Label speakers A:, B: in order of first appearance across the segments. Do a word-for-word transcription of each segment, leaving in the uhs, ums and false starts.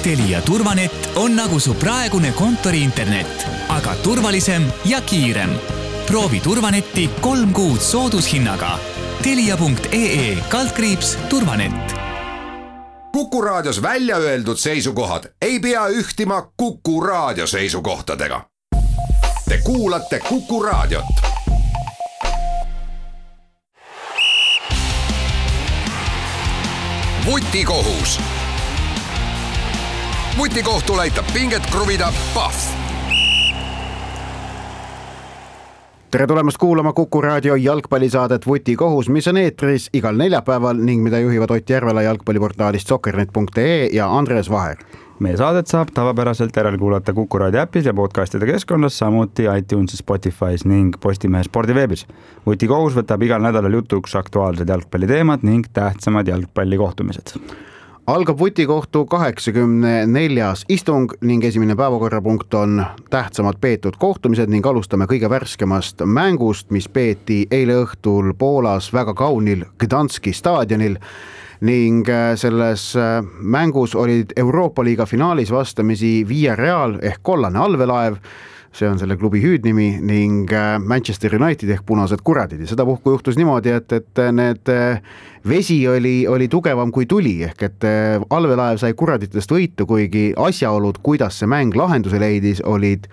A: Telia turvanet on nagu su praegune kontori internet, aga turvalisem ja kiirem. Proovi turvanetti kolm kuud soodushinnaga. Telia punkt ee kaldkriips turvanet.
B: Kuku Raadios välja öeldud seisukohad ei pea ühtima Kuku Raadio seisukohtadega. Te kuulate Kuku Raadiot. Vutikohus. Vutikohtul aitab pinget kruvida Pahv.
C: Tere tulemast kuulama Kuku Raadio jalgpallisaadet Vutikohus, mis on eetris igal neljapäeval ning mida juhivad Ott Järvela jalgpalliportaalist soccernet punkt ee ja Andres Vaher.
D: Meie saadet saab tavapäraselt järel kuulata Kuku Raadio äpis ja podcastide keskkonnas, samuti iTunes, Spotify's ning Postimehe spordiveebis. Vutikohus võtab igal nädalal jutuks aktuaalsed jalgpalliteemad ning tähtsamad jalgpallikohtumised.
C: Algab Vutikohtu kaheksakümne neljas istung ning esimene päevakorrapunkt on tähtsamad peetud kohtumised ning alustame kõige värskemast mängust, mis peeti eile õhtul Poolas väga kaunil Gdanski staadionil ning selles mängus olid Euroopa liiga finaalis vastamisi Villarreal ehk kollane allveelaev, see on selle klubi hüüdnimi, ning Manchester United ehk punased kuradid. Ja seda puhku juhtus niimoodi, et, et need vesi oli, oli tugevam kui tuli, ehk et allveelaev sai kuraditest võitu, kuigi asjaolud, kuidas see mäng lahenduse leidis, olid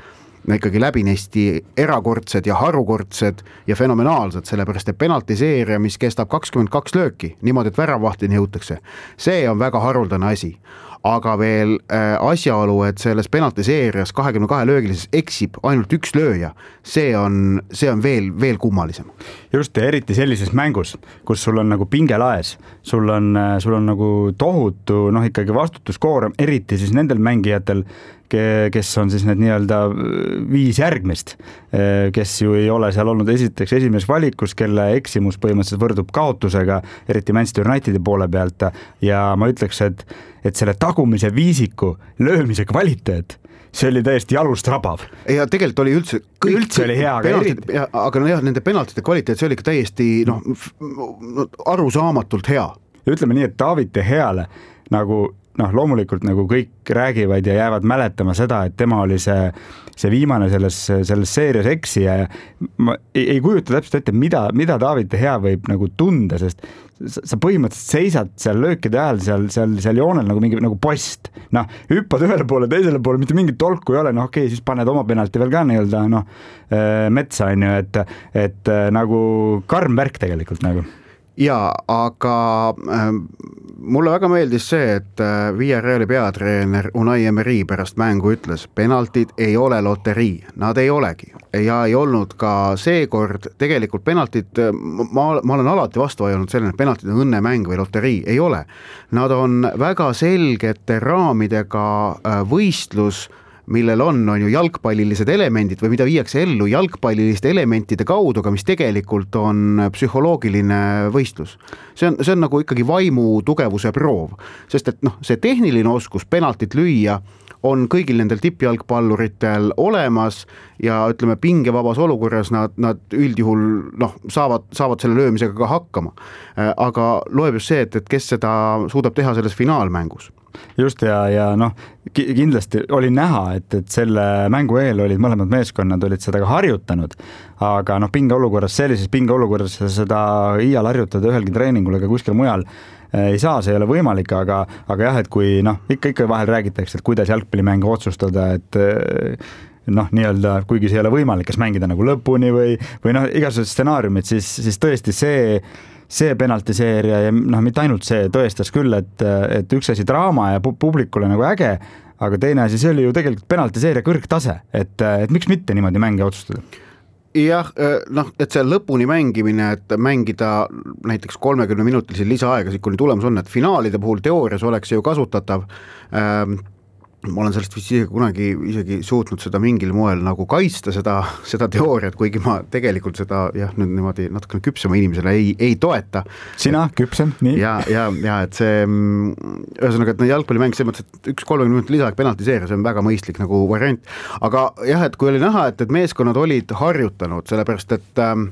C: ikkagi läbinesti erakordsed ja harukordsed ja fenomenaalsed, sellepärast et penaltiseeria, mis kestab kakskümmend kaks lööki, niimoodi, et väravahtini jõutakse. See on väga haruldane asi. Aga veel äh, asjaolu, et selles penaltiseerias kahekümne kahe löögilises eksib ainult üks lööja, see on, see on veel, veel kummalisem.
D: Just, ja eriti sellises mängus, kus sul on nagu pingelaes, sul on, sul on nagu tohutu, noh ikkagi vastutuskoorem, eriti siis nendel mängijatel, kes on siis need nii-öelda viis järgmist, kes ju ei ole seal olnud esiteks esimeses valikus, kelle eksimus põhimõtteliselt võrdub kaotusega, eriti Manchester Unitedi poole pealt, ja ma ütleks, et, et selle tagumise viisiku löömise kvaliteet, see oli täiesti jalust rabav.
C: Ja tegelikult oli üldse kõik,
D: üldse oli hea, aga,
C: penaltid, ja, aga no jah, nende penaltide kvaliteet, see oli ka täiesti noh, arusaamatult hea.
D: Ja ütleme nii, et David De Geale nagu noh, loomulikult nagu kõik räägivad ja jäävad mäletama seda, et tema oli see, see viimane selles, selles seerias eksija ja ma ei, ei kujuta täpselt ette, mida, mida David De Gea võib nagu tunda, sest sa põhimõtteliselt seisad seal löökide ajal seal, seal, seal joonel nagu mingi nagu post. Noh, hüppad ühele poole, teisele poole, mitte mingit tolku ei ole, noh okei, siis paned oma penalti veel ka nii-öelda noh, metsa on ju, et, et nagu karm värk tegelikult nagu.
C: Ja, aga äh, mulle väga meeldis see, et äh, Villarreali peatreener Unai Emery pärast mängu ütles, penaltid ei ole loterii, nad ei olegi. Ja ei olnud ka seekord tegelikult penaltid, ma, ma olen alati vastu vajanud sellele, et penaltid on õnnemäng või loterii, ei ole. Nad on väga selgete raamidega äh, võistlus, millel on, on ju jalgpallilised elemendid või mida viiakse ellu jalgpalliliste elementide kaudu, aga mis tegelikult on psühholoogiline võistlus. See on, see on nagu ikkagi vaimu tugevuse proov, sest et noh, see tehniline oskus penaltit lüüa on kõigil nendel tippjalgpalluritel olemas ja ütleme pingevabas olukorras nad, nad üldjuhul noh, saavad, saavad selle löömisega ka hakkama. Aga loeb just see, et, et kes seda suudab teha selles finaalmängus.
D: Just ja, ja noh, kindlasti oli näha, et, et selle mängu eel olid mõlemad meeskonnad olid seda ka harjutanud, aga noh, pinge olukorras, sellises pinge olukorras seda iial harjutada ühelgi treeningul ega kuskil mujal ei saa, see ei ole võimalik, aga, aga jah, et kui noh, ikka, ikka vahel räägitakse, et kuidas jalgpallimängu otsustada, et noh, nii-öelda, kuigi see ei ole võimalik, kas mängida nagu lõpuni või, või noh, igasugused stsenaariumid, siis, siis tõesti see see penaltiseeria ja noh, mitte ainult see tõestas küll, et, et üks asi draama ja publikule nagu äge, aga teine asi, see oli ju tegelikult penaltiseeria kõrgtase, et, et miks mitte niimoodi mänge otsustada?
C: Jah, noh, et see lõpuni mängimine, et mängida näiteks kolmekümne minutilisi lisaaegasid, kuni tulemus on, et finaalide puhul teoorias oleks ju kasutatav ähm, ma olen sellest vist isegi kunagi isegi suutnud seda mingil moel nagu kaitsta seda, seda teooriat, kuigi ma tegelikult seda jah, nüüd niimoodi natukene küpsema inimesele ei, ei toeta.
D: Sina küpsem, nii?
C: Ja, ja, ja et see ühesõnaga, et jalgpallimäng see mõttes, et üks kolmekümne minutit lisaag penaltiseeria, see on väga mõistlik nagu variant. Aga jah, et kui oli näha, et, et meeskonnad olid harjutanud, sellepärast, et ähm,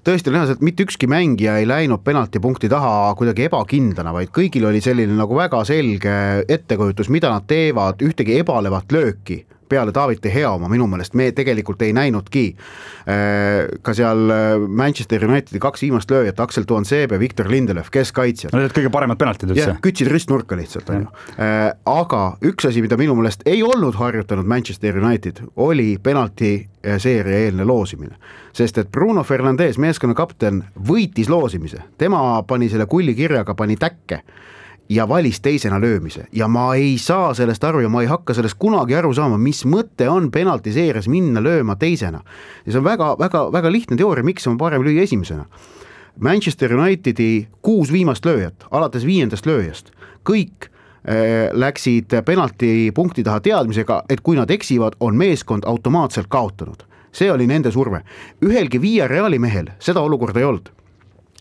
C: tõesti näha, et mitte ükski mängija ei läinud penaltipunkti taha kuidagi ebakindlana, vaid kõigil oli selline nagu väga selge ettekujutus, mida nad teevad, ühtegi ebalevat lööki peale David De Gea oma minu meelest me tegelikult ei näinudki. Ka seal Manchester Unitedi kaks viimast lööjat, Axel Tuanzebe ja Victor Lindelöf, kes kaitsjad.
D: No need kõige paremad penaltid üldse.
C: Kütsid ristnurka lihtsalt. Aga üks asi, mida minu meelest ei olnud harjutanud Manchester United, oli penalti seeria eelne loosimine. Sest et Bruno Fernandes, meeskonna kapten, võitis loosimise. Tema pani selle kulli kirjaga, pani täkke ja valis teisena löömise ja ma ei saa sellest aru ja ma ei hakka sellest kunagi aru saama, mis mõte on penalti seeres minna lööma teisena. Ja see on väga, väga, väga lihtne teooria, miks on parem lüüa esimesena. Manchester Unitedi kuus viimast lööjat, alates viiendast lööjast, kõik äh, läksid penalti punkti taha teadmisega, et kui nad eksivad, on meeskond automaatselt kaotanud. See oli nende surve. Ühelgi Via Reali mehel seda olukorda ei olnud.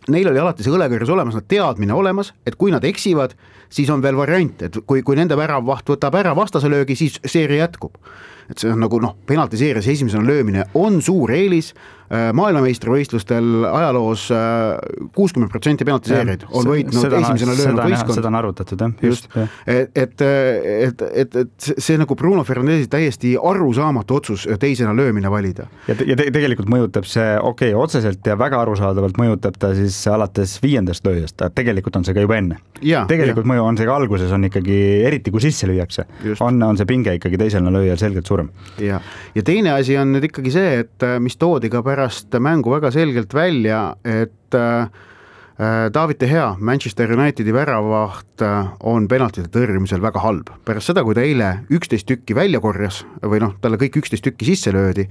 C: Neil oli alati see õlekõrjas olemas, nad teadmine olemas, et kui nad eksivad, siis on veel variant, et kui, kui nende väravaht võtab ära vastase löögi, siis seeria jätkub. Et see on nagu noh, penalti seerias esimesena löömine on suur eelis, maailmameistrivõistlustel ajaloos kuuskümmend protsenti penalti seeriaid on võitnud seda, esimesena löönud võistkond.
D: Seda on arvutatud, jah.
C: Just, et, et, et, et, et see nagu Bruno Fernandesi täiesti arusaamatu otsus teisena löömine valida.
D: Ja, te, ja te, tegelikult mõjutab see, okei, okay, otseselt ja väga arusaadavalt mõjutab ta siis alates viiendast lööjast, tegelikult on see ka juba enne. Ja, tegelikult ja. Mõju on see ka alguses, on ikkagi, eriti kui sisse lüüakse, on, on see pinge ikkagi teisena lööjal selgelt suurem.
C: Ja, ja teine asi on nüüd ikkagi see, et mis toodi ka pärast mängu väga selgelt välja, et David De Gea, Manchester Unitedi väravaht, on penaltide tõrjumisel väga halb. Pärast seda, kui ta eile üksteist tükki välja korjas, või noh, talle kõik üksteist tükki sisse löödi,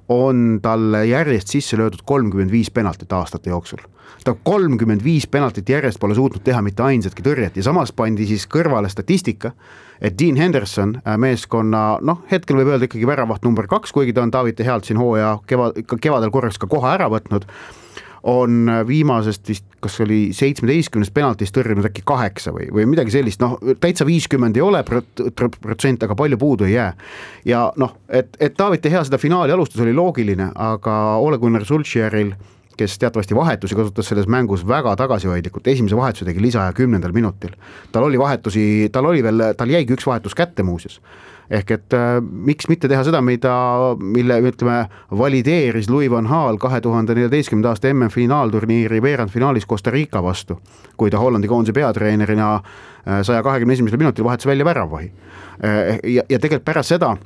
C: on talle järjest sisse löödud kolmkümmend viis penaltit aastate jooksul. Ta kolmkümmend viis penaltit järjest pole suutnud teha mitte ainsatki tõrjet ja samas pandi siis kõrvale statistika, et Dean Henderson meeskonna, noh, hetkel võib öelda ikkagi väravaht number kaks, kuigi ta on David De Gealt siin hooaja kevad, kevadel korraks ka koha ära võtnud, on viimasest vist, kas oli seitsmeteistkümnest penaltist tõrjunud äkki kaheksa või, või midagi sellist, noh, täitsa viiskümmend ei ole protsent, aga palju puudu ei jää. Ja noh, et, et David De Gea seda finaali alustus oli loogiline, aga Ole Gunnar Solskjaeril, kes teatavasti vahetusi kasutas selles mängus väga tagasihoidlikult, esimese vahetuse tegi lisaja kümnendal minutil. Tal oli vahetusi, tal oli veel, tal jäigi üks vahetus kätte muuses. Ehk et äh, miks mitte teha seda, mida, mille ütleme, valideeris Louis van Gaal kahe tuhande neljateistkümnenda aasta M M-finaalturniiri veerandfinaalis Costa Rica vastu, kui ta Hollandi koondise peatreenerina saja kahekümne esimesel minutil vahetas välja väravahi. Ja, ja tegelikult pärast seda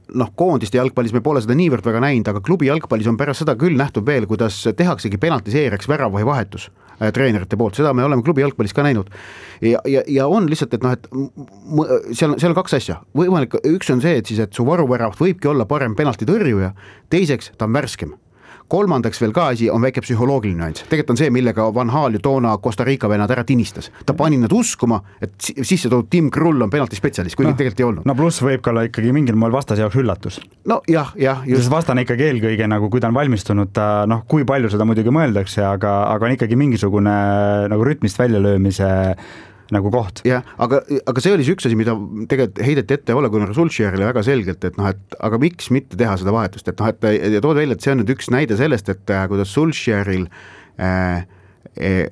C: noh, koondiste jalgpallis me pole seda niivõrd väga näinud, aga klubi jalgpallis on pärast seda küll nähtud veel, kuidas tehaksegi penalti seeriaks väravahi vahetus äh, treenerite poolt, seda me oleme klubi jalgpallis ka näinud. Ja, ja, ja on lihtsalt, et noh, et seal, seal on kaks asja. Võimalik, üks on see, et siis, et su varuväravat võibki olla parem penalti tõrjuja, teiseks ta on värskem. Kolmandaks veel ka asi on väike psühholoogiline nüanss. Tegelikult on see, millega Van Gaal ju toona Costa Rica vennad ära tinistas. Ta pani nad uskuma, et sisse toodud Tim Krull on penaltispetsialist, kuigi no, tegelikult ei olnud.
D: No pluss võib ka olla ikkagi mingil moel vastase jaoks üllatus.
C: No jah, jah.
D: Just. Vastane ikkagi eelkõige, nagu kui ta on valmistunud, ta, noh, kui palju seda muidugi mõeldakse, aga, aga on ikkagi mingisugune nagu rütmist väljalöömise nagu koht.
C: Ja, aga, aga see oli see üks asi, mida tegelikult heideti ette Ole Gunnar Solskjaerile väga selgelt, et noh, et aga miks mitte teha seda vahetust, et noh, et tood välja, et see on nüüd üks näide sellest, et kuidas Solskjaeril äh,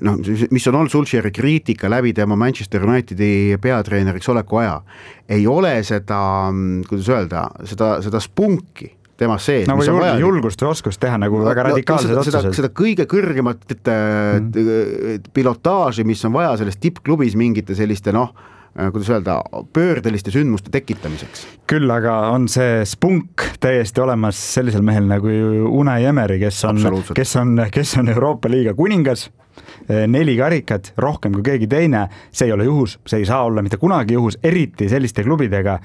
C: noh, mis on olnud Solskjaeri kriitika läbi tema Manchester Unitedi peatreeneriks oleku aja, ei ole seda, kuidas öelda, seda, seda spunki tema sees.
D: No või julg, julgust või oskust teha nagu no, väga radikaalsed no,
C: otsused. Seda, seda kõige kõrgemat mm. pilotaaži, mis on vaja selles tippklubis mingite selliste, noh, kuidas öelda, pöördeliste sündmuste tekitamiseks. Küll
D: aga on see spunk täiesti olemas sellisel mehel nagu Unai Emery, kes on, kes on, kes on Euroopa liiga kuningas, neli karikat, rohkem kui keegi teine, see ei ole juhus, see ei saa olla mitte kunagi juhus, eriti selliste klubidega,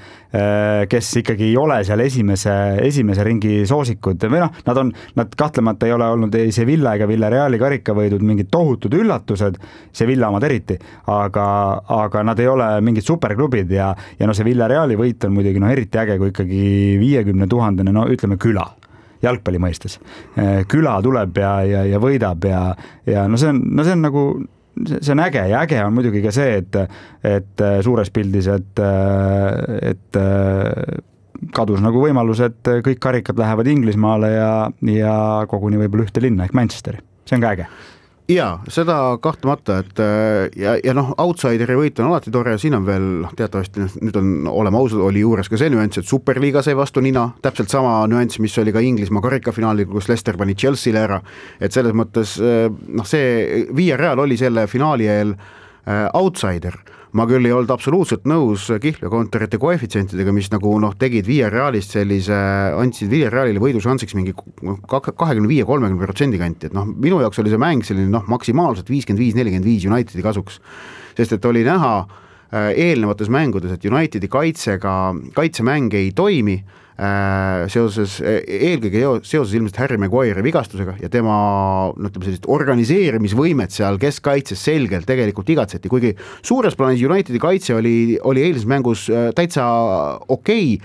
D: kes ikkagi ei ole seal esimese, esimese ringi soosikud või noh, nad on, nad kahtlemata ei ole olnud ei Sevilla ega Villareali karikavõidud mingid tohutud üllatused, Sevilla omad eriti, aga, aga nad ei ole mingid superklubid ja, ja no see Villareali võit on muidugi no eriti äge, kui ikkagi viiekümne tuhandene, no ütleme küla jalgpalli mõistes. Küla tuleb ja, ja, ja võidab ja, ja no see on, no see on nagu, see on äge ja äge on muidugi ka see, et, et suures pildis, et, et kadus nagu võimalus, et kõik karikad lähevad Inglismaale ja, ja koguni võib-olla ühte linna ehk Manchesteri. See on ka äge.
C: Jaa, seda kahtlemata, et ja, ja noh, outsideri võit on alati tore, siin on veel noh, teatavasti nüüd on olema ausad, oli juures ka see nüanss, et Superliiga sai vastu nina, täpselt sama nüanss, mis oli ka Inglismaa karikafinaali, kus Leicester pani Chelsea'le ära, et selles mõttes noh, see Villarreal oli selle finaali eel outsider. Ma küll ei olnud absoluutselt nõus kihlveokontorite koefitsientidega, mis nagu noh, tegid Villarrealist sellise, andsid Villarrealile võidušansiks mingi kakskümmend viis kolmkümmend protsendi kanti, et noh, minu jaoks oli see mäng selline noh, maksimaalselt viiskümmend viis nelikümmend viis Unitedi kasuks, sest et oli näha eelnevates mängudes, et Unitedi kaitsega, kaitsemäng ei toimi, seoses, eelkõige seoses ilmselt Harry Maguire vigastusega ja tema no, sellist organiseerimisvõimet seal keskkaitses selgelt tegelikult igatseti, kuigi suures plaanis Unitedi kaitse oli, oli eilses mängus täitsa okei,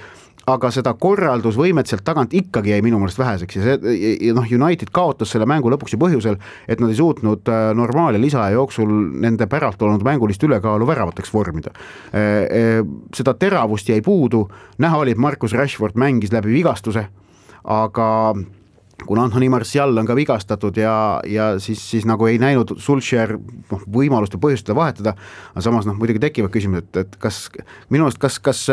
C: aga seda korraldusvõimet sealt tagant ikkagi jäi minu meelest väheseks ja see, noh, United kaotas selle mängu lõpuks ju põhjusel, et nad ei suutnud normaal- ja lisaja jooksul nende päralt olnud mängulist ülekaalu väravateks vormida. Seda teravust jäi puudu, näha oli, et Marcus Rashford mängis läbi vigastuse, aga kuna Anthony Martial on ka vigastatud ja, ja siis, siis nagu ei näinud Solskjaer noh, võimalust ja põhjust seda vahetada, aga samas noh, muidugi tekivad küsimus, et, et kas minu arust, kas, kas,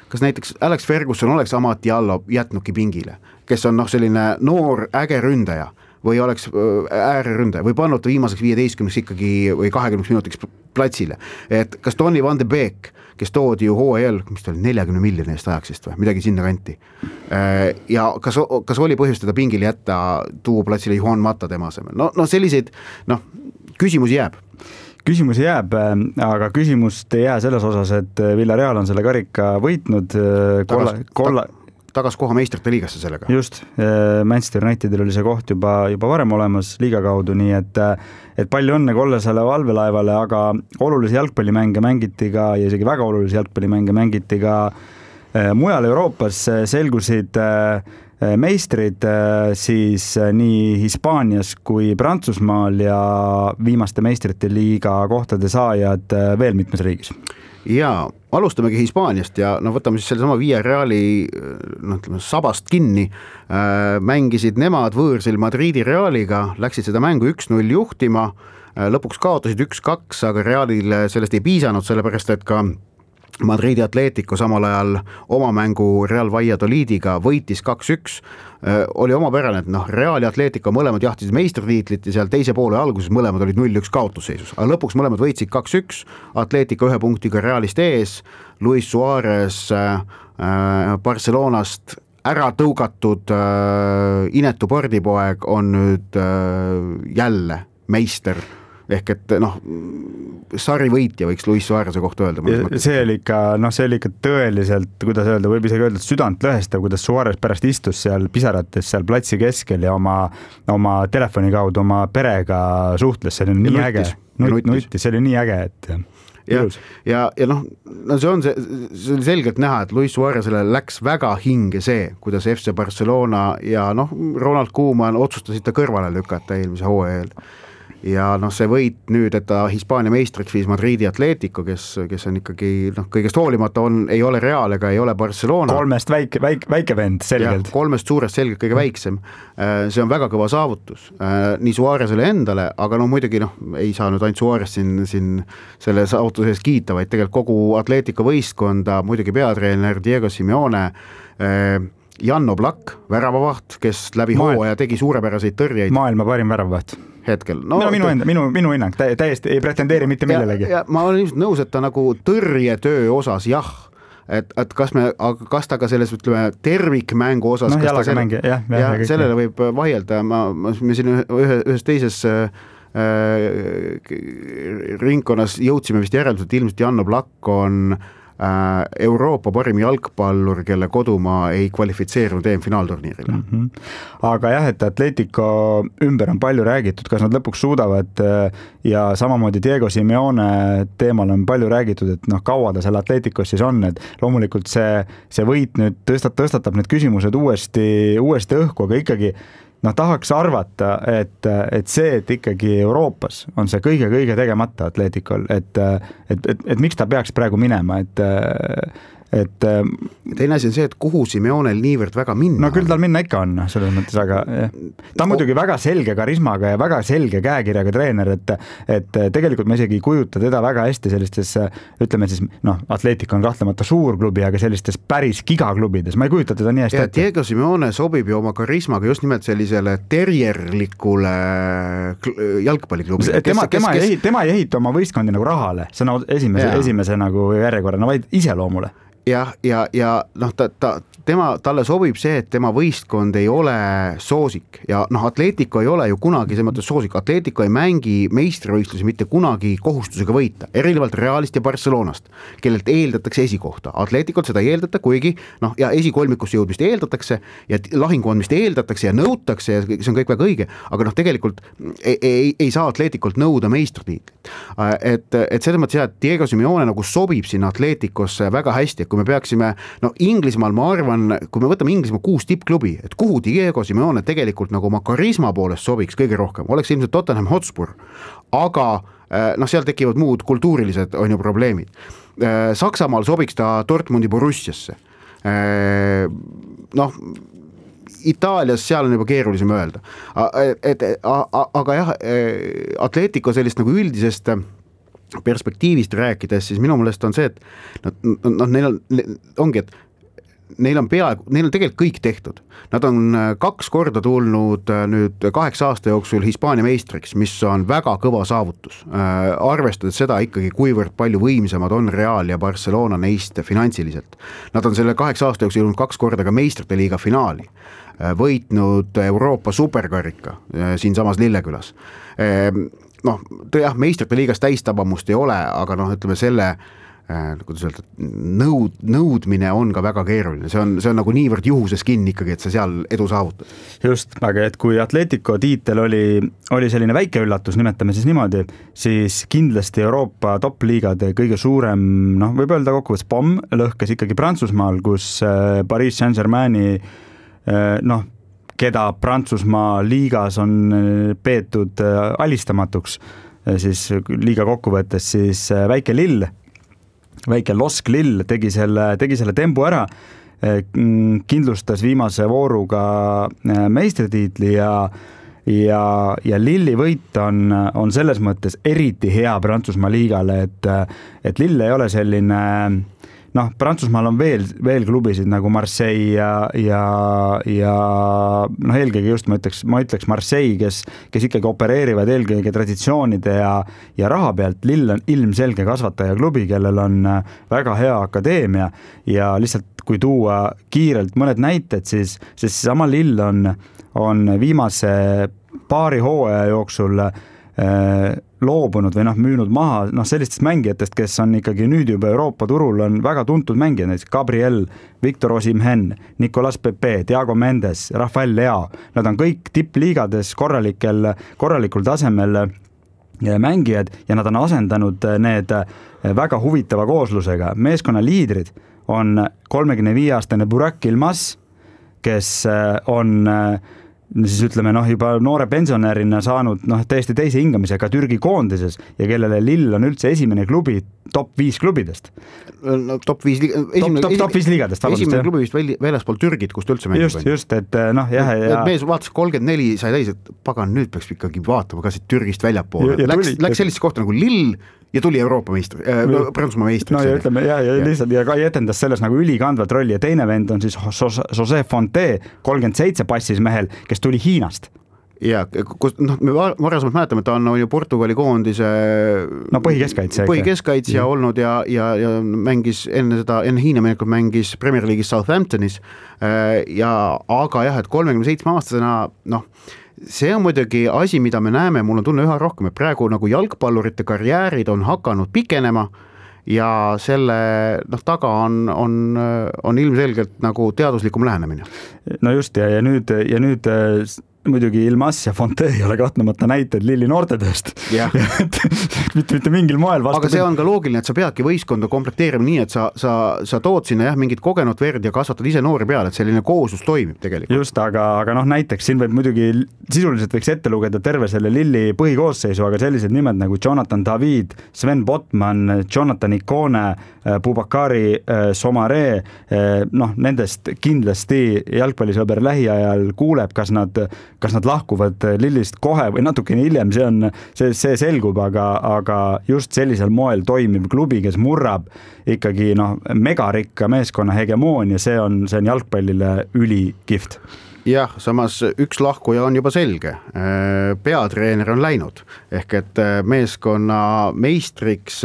C: kas näiteks Alex Ferguson oleks Amad Diallo jätnudki pingile, kes on noh, selline noor äge ründaja või oleks ääreründaja või pannud viimaseks viieteistkümneks ikkagi või kahekümneks minutiks platsile, et kas Donny van de Beek, kes toodi ju H L, mis ta oli neljakümne miljoni eest ajaksist või midagi sinna kanti ja kas, kas oli põhjust teda pingile jätta, tuua platsile Juan Mata tema asemel, no, no selliseid noh, küsimusi jääb
D: küsimusi jääb, aga küsimust ei jää selles osas, et Villarreal on selle karika võitnud kolla, kolla
C: tagas koha meistrite liigasse sellega.
D: Just, Manchester Unitedil oli see koht juba, juba varem olemas liiga kaudu, nii et, et palju õnne Kollesele valvelaevale, aga olulisi jalgpallimänge mängiti ka ja isegi väga olulisi jalgpallimänge mängiti ka mujal Euroopas, selgusid meistrid siis nii Hispaanias kui Prantsusmaal ja viimaste meistrite liiga kohtade saajad veel mitmes riigis.
C: Jaa, alustamegi Hispaaniast ja no võtame siis selle sama Villarreali no, ütleme, sabast kinni, äh, mängisid nemad võõrsil Madridi Realiga, läksid seda mängu üks null juhtima, äh, lõpuks kaotasid üks kaks, aga Realile sellest ei piisanud, sellepärast et ka Madridi Atletico samal ajal oma mängu Real Valladolidiga võitis kaks üks, oli omapärane, et noh, Real ja Atletico mõlemad jahtisid meistritiitlit ja seal teise poole alguses mõlemad olid null üks kaotusseisus, aga lõpuks mõlemad võitsid kaks üks, Atletico ühe punktiga Realist ees, Luis Suarez äh, Barcelonast ära tõugatud äh, inetu pardipoeg on nüüd äh, jälle meister, ehk et noh, sari võitja võiks Luis Suareze kohta öelda.
D: See oli ikka, noh, see oli ikka tõeliselt, kuidas öelda, võib isegi öelda, südant lõhestav, kuidas Suarez pärast istus seal pisarates seal platsi keskel ja oma, oma telefoni kaudu oma perega suhtles, see oli nii äge. Nutis, see oli nii äge, et
C: ja, ja, ja noh, no see on see, see oli selgelt näha, et Luis Suarezele läks väga hinge see, kuidas F C Barcelona ja noh, Ronald Koeman otsustasid ta kõrvale lükata eelmise hooajal. Ja noh, see võit nüüd, et ta Hispaania meistriks viis Madridi Atletico, kes, kes on ikkagi noh, kõigest hoolimata on, ei ole Real ega ei ole Barcelona.
D: Kolmest väike, väike, väike vend selgelt.
C: Ja, kolmest suurest selgelt kõige väiksem. See on väga kõva saavutus nii Suarezele endale, aga no muidugi noh, ei saa nüüd ainult Suarez siin, siin selle saavutuse eest kiita, vaid tegelikult kogu Atletico võistkonda, muidugi peatreener Diego Simeone, Jan Oblak, väravavaht, kes läbi hooaja tegi suurepäraseid tõrjeid.
D: Maailma parim väravavaht.
C: Hetkel. No,
D: no, minu, enda, minu, minu hinnang, tä, täiesti ei pretendeeri mitte millelegi.
C: Ja, ja ma olen ilmselt nõus, et ta nagu tõrjetöö osas jah, et, et kas, me, kas ta ka selles ütleme, tervikmängu osas,
D: no,
C: kas ta
D: selle, jah, jah,
C: ja, sellele võib vaielda, ma, me siin ühe, ühes teises äh, ringkonnas jõudsime vist järeldus, et ilmselt Jan Oblak on Euroopa parim jalgpallur, kelle kodumaa ei kvalifitseerunud E M-finaalturniirile.
D: Mm-hmm. Aga jah, et Atletico ümber on palju räägitud, kas nad lõpuks suudavad ja samamoodi Diego Simeone teemal on palju räägitud, et noh, kaua ta seal Atleticos siis on, et loomulikult see, see võit nüüd tõstat, tõstatab need küsimused uuesti, uuesti õhku, aga ikkagi noh, tahaks arvata, et, et see, et ikkagi Euroopas on see kõige-kõige tegemata Atleticol, et, et, et, et miks ta peaks praegu minema, et, et
C: teine asi on see, et kuhu Simeonel niivõrd väga minna.
D: No küll tal minna ikka on, selles mõttes, aga jah. Ta on muidugi väga selge karismaga ja väga selge käekirjaga treener, et, et tegelikult me isegi ei kujuta teda väga hästi sellistes, ütleme siis, noh, Atletico on kahtlemata suur klubi, aga sellistes päris gigaklubides, ma ei kujuta teda nii hästi
C: ja, ette. Diego Simeone sobib ju oma karismaga just nimelt sellisele terjerlikule jalgpalliklubile.
D: Tema, kes, tema, kes... Ei, tema ei ehita oma võistkondi nagu rahale, see on esimese, esimese nagu järjekorrana, vaid iseloomule.
C: jah, ja, ja, ja noh, ta, ta, tema, talle sobib see, et tema võistkond ei ole soosik ja noh, Atletico ei ole ju kunagi selles mõttes soosik, Atletico ei mängi meistrivõistlusi mitte kunagi kohustusega võita, erinevalt Realist ja Barcelonast, kellelt eeldatakse esikohta. Atleticolt seda ei eeldata, kuigi noh, ja esikolmikusse jõudmist eeldatakse ja lahinguandmist eeldatakse ja nõutakse ja see on kõik väga õige, aga noh, tegelikult ei, ei, ei saa Atleticolt nõuda meistritiitlit. Et, et selles mõttes jah, et Diego Simeone nagu sobib sinna Atleticosse väga hästi, et kui me peaksime, no Inglismaal ma arvan, kui me võtame Inglismaa kuus tippklubi, et kuhu Diego Simeone tegelikult nagu oma karisma poolest sobiks kõige rohkem, oleks ilmselt Tottenham Hotspur, aga noh, seal tekivad muud kultuurilised on ju probleemid. Saksamaal sobiks ta Dortmundi Borussiasse. Noh, Itaalias seal on juba keerulisem öelda. Et, aga jah, Atletico sellist nagu üldisest perspektiivist rääkides, siis minu meelest on see, et noh, neil on, ongi, et neil on peaaegu, neil on tegelikult kõik tehtud. Nad on kaks korda tulnud nüüd kaheksa aasta jooksul Hispaania meistriks, mis on väga kõva saavutus. Arvestades seda ikkagi, kuivõrd palju võimsamad on Real ja Barcelona neist finantsiliselt. Nad on selle kaheksa aasta jooksul jõudnud kaks korda ka meistrite liiga finaali. Võitnud Euroopa superkarika siin samas Lillekülas. Noh, jah, meistrite liigas täistabamust ei ole, aga noh, ütleme selle kuidas öelda, nõud, nõudmine on ka väga keeruline, see on, see on nagu niivõrd juhuses kinni ikkagi, et sa seal edu saavutad.
D: Just, aga et kui Atletico tiitel oli, oli selline väike üllatus, nimetame siis niimoodi, siis kindlasti Euroopa top-liigade kõige suurem, noh, võib öelda kokkuvõttes pomm lõhkes ikkagi Prantsusmaal, kus Paris Saint-Germaini, noh, keda Prantsusmaa liigas on peetud alistamatuks, siis liiga kokkuvõttes, siis väike Lill, väike Losk Lill tegi selle, tegi selle tembu ära, kindlustas viimase vooruga meistritiitli ja, ja, ja Lilli võit on, on selles mõttes eriti hea Prantsusmaa liigale, et, et Lill ei ole selline, noh, Prantsusmaal on veel, veel klubisid nagu Marseille ja, ja, ja noh, eelkõige just ma ütleks, ma ütleks Marseille, kes, kes ikkagi opereerivad eelkõige traditsioonide ja, ja raha pealt. Lill on ilmselge kasvataja klubi, kellel on väga hea akadeemia ja lihtsalt kui tuua kiirelt mõned näited, siis, siis sama Lill on, on viimase paari hooaja jooksul äh, loobunud või noh, müünud maha noh, sellistest mängijatest, kes on ikkagi nüüd juba Euroopa turul on väga tuntud mängijad, näiteks Gabriel, Victor Osimhen, Nicolas Pepe, Thiago Mendes, Rafael Leao. Nad on kõik tippliigades korralikel, korralikul tasemel mängijad ja nad on asendanud need väga huvitava kooslusega. Meeskonna liidrid on kolmekümne viie aastane Burak Ilmaz, kes on siis ütleme, noh, juba noore pensionärina saanud noh, täiesti teise hingamisega Türgi koondises ja kellele Lill on üldse esimene klubi top viis klubidest.
C: No, top viis,
D: esimene, top, top, top viis liigadest.
C: Esimene jah. Klubi vist väljaspool Türgit, kust üldse mängib.
D: Just, just, et noh, jah. Ja...
C: mees vaatas kolmkümmend neli sai täis, et pagan, nüüd peaks ikkagi vaatama ka siit Türgist väljapoole. Läks, läks sellist kohta nagu Lill ja tuli Euroopa meistri, äh, Prantsusmaa meistri.
D: No ja ütleme, ja, ja, ja lihtsalt ja ka etendas selles nagu ülikandvat rolli ja teine vend on siis José Fonte, kolmkümmend seitse passis mehel, kes tuli Hiinast.
C: Ja, kus, noh, me varasemalt mäletame, et ta on ju Portugali koondise
D: no, põhikeskaitsja,
C: põhikeskaitsja ja. olnud ja, ja, ja mängis enne seda, enne Hiina minekut mängis Premier League'is Southamptonis ja, aga jah, et kolmekümne seitsme aastasena, noh, see on muidugi asi, mida me näeme, mul on tunne üha rohkem, et praegu nagu jalgpallurite karjäärid on hakanud pikenema ja selle noh, taga on, on, on ilmselgelt nagu teaduslikum lähenemine.
D: No just ja, ja nüüd, ja nüüd muidugi Ilmas ja Fonte ei ole kahtlemata näited Lilli noortetööst. mitte, mitte mingil moel vastu.
C: Aga see on ka loogiline, et sa peadki võistkonda komplekteerima nii, et sa, sa, sa tood sinna jah, mingit kogenud verd ja kasvatad ise noori peale, et selline kooslus toimib tegelikult.
D: Just, aga, aga noh, näiteks siin võib muidugi sisuliselt võiks ette lugeda terve selle Lilli põhikoosseisu, aga sellised nimed nagu Jonathan David, Sven Botman, Jonathan Ikone, Bubakari Somare, noh, nendest kindlasti jalgpallisõber lähiajal kuuleb, kas nad, kas nad lahkuvad Lillist kohe või natukene hiljem, see on, see, see selgub, aga, aga just sellisel moel toimiv klubi, kes murrab ikkagi noh, megarikka meeskonna hegemoonia, see on, see on jalgpallile ülikift.
C: Jah, samas üks lahkuja on juba selge. Peatreener on läinud, ehk et meeskonna meistriks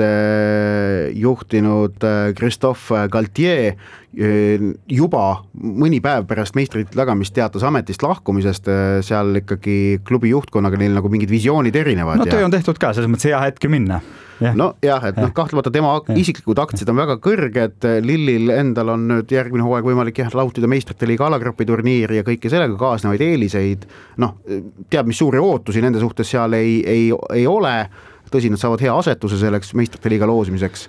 C: juhtinud Christophe Galtier juba mõni päev pärast meistrit tagamist teatas ametist lahkumisest, seal ikkagi klubi juhtkonnaga neil nagu mingid visioonid erinevad.
D: No töö on tehtud ka, selles mõttes hea hetk minna.
C: Ja. No jah, et noh, kahtlemata tema isiklikud aktsiad on väga kõrged, Lillil endal on nüüd järgmine hooaeg võimalik jah, lautida meistrite liiga alagrupi turniiri ja kõike sellega kaasnevaid eeliseid, noh, teab, mis suuri ootusi nende suhtes seal ei, ei, ei ole, tõsi, nad saavad hea asetuse selleks meistrite liiga loosimiseks.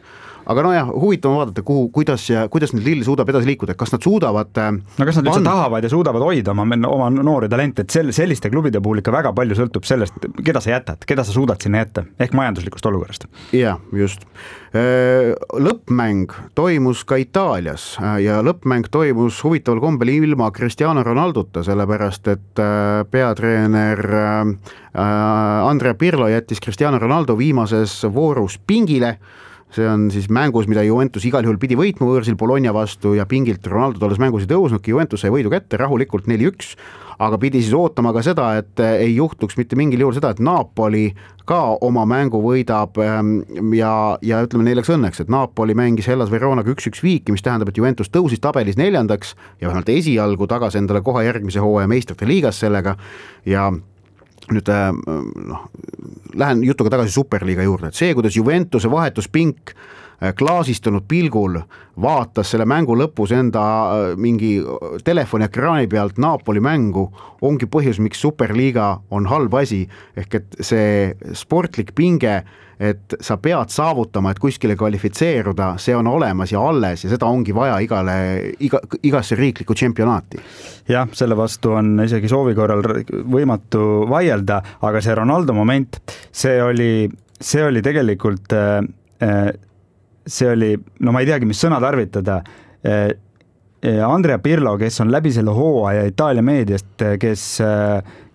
C: Aga no jah, huvitav vaadata, kuhu, kuidas, ja, kuidas nüüd Lill suudab edasi liikuda, kas nad suudavad
D: no kas nad üldse tahavad ja suudavad hoida oma, oma noori talente, et sel, selliste klubide puhul ikka väga palju sõltub sellest, keda sa jätad, keda sa suudad sinna jätta, ehk majanduslikust olukorrast.
C: Jah, just. Lõppmäng toimus ka Itaalias ja lõppmäng toimus huvitaval kombel ilma Cristiano Ronaldota, sellepärast et peatreener Andrea Pirlo jättis Cristiano Ronaldo viimases voorus pingile. See on siis mängus, mida Juventus igal juhul pidi võitma võõrsil Bologna vastu ja pingilt Ronaldo tolles mängus ei tõusnudki, Juventus sai võidu kätte rahulikult neli üks, aga pidi siis ootama ka seda, et ei juhtuks mitte mingil juhul seda, et Napoli ka oma mängu võidab ja, ja ütleme neil läks õnneks, et Napoli mängis Hellas Veronaga üks üks viiki, mis tähendab, et Juventus tõusis tabelis neljandaks ja vähemalt esialgu tagas endale kohe järgmise hooaja meistrite liigas sellega ja nüüd noh, lähen jutuga tagasi Superliiga juurde, et see, kuidas Juventuse vahetuspink klaasistunud pilgul vaatas selle mängu lõpus enda mingi telefoni ekraani pealt Napoli mängu, ongi põhjus, miks Superliiga on halb asi, ehk et see sportlik pinge, et sa pead saavutama, et kuskile kvalifitseeruda, see on olemas ja alles ja seda ongi vaja igale, iga, igasse riikliku tšempionaati. Jah,
D: selle vastu on isegi soovi korral võimatu vaielda, aga see Ronaldo moment, see oli, see oli tegelikult, see oli, no ma ei teagi, mis sõna tarvitada, Andrea Pirlo, kes on läbi selle hooaja Itaalia meediast, kes,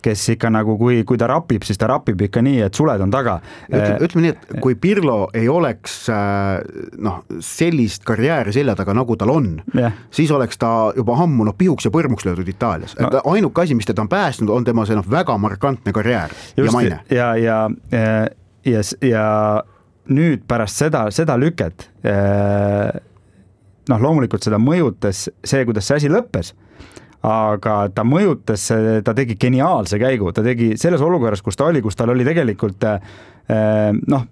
D: kes ikka nagu, kui, kui ta rapib, siis ta rapib ikka nii, et suled on taga.
C: Ütleme, ütleme nii, et kui Pirlo ei oleks noh, sellist karjääri selja taga, nagu tal on, yeah. siis oleks ta juba ammu no, pihuks ja põrmuks löödud Itaalias. No. Ainuke asi, mis teda on päästnud, on tema see no, väga markantne karjäär
D: Just,
C: ja maine.
D: Ja, ja, ja, ja, ja nüüd pärast seda, seda lüket noh, loomulikult seda mõjutas see, kuidas see asi lõppes, aga ta mõjutas, ta tegi geniaalse käigu, ta tegi selles olukorras, kus ta oli, kus tal oli tegelikult noh,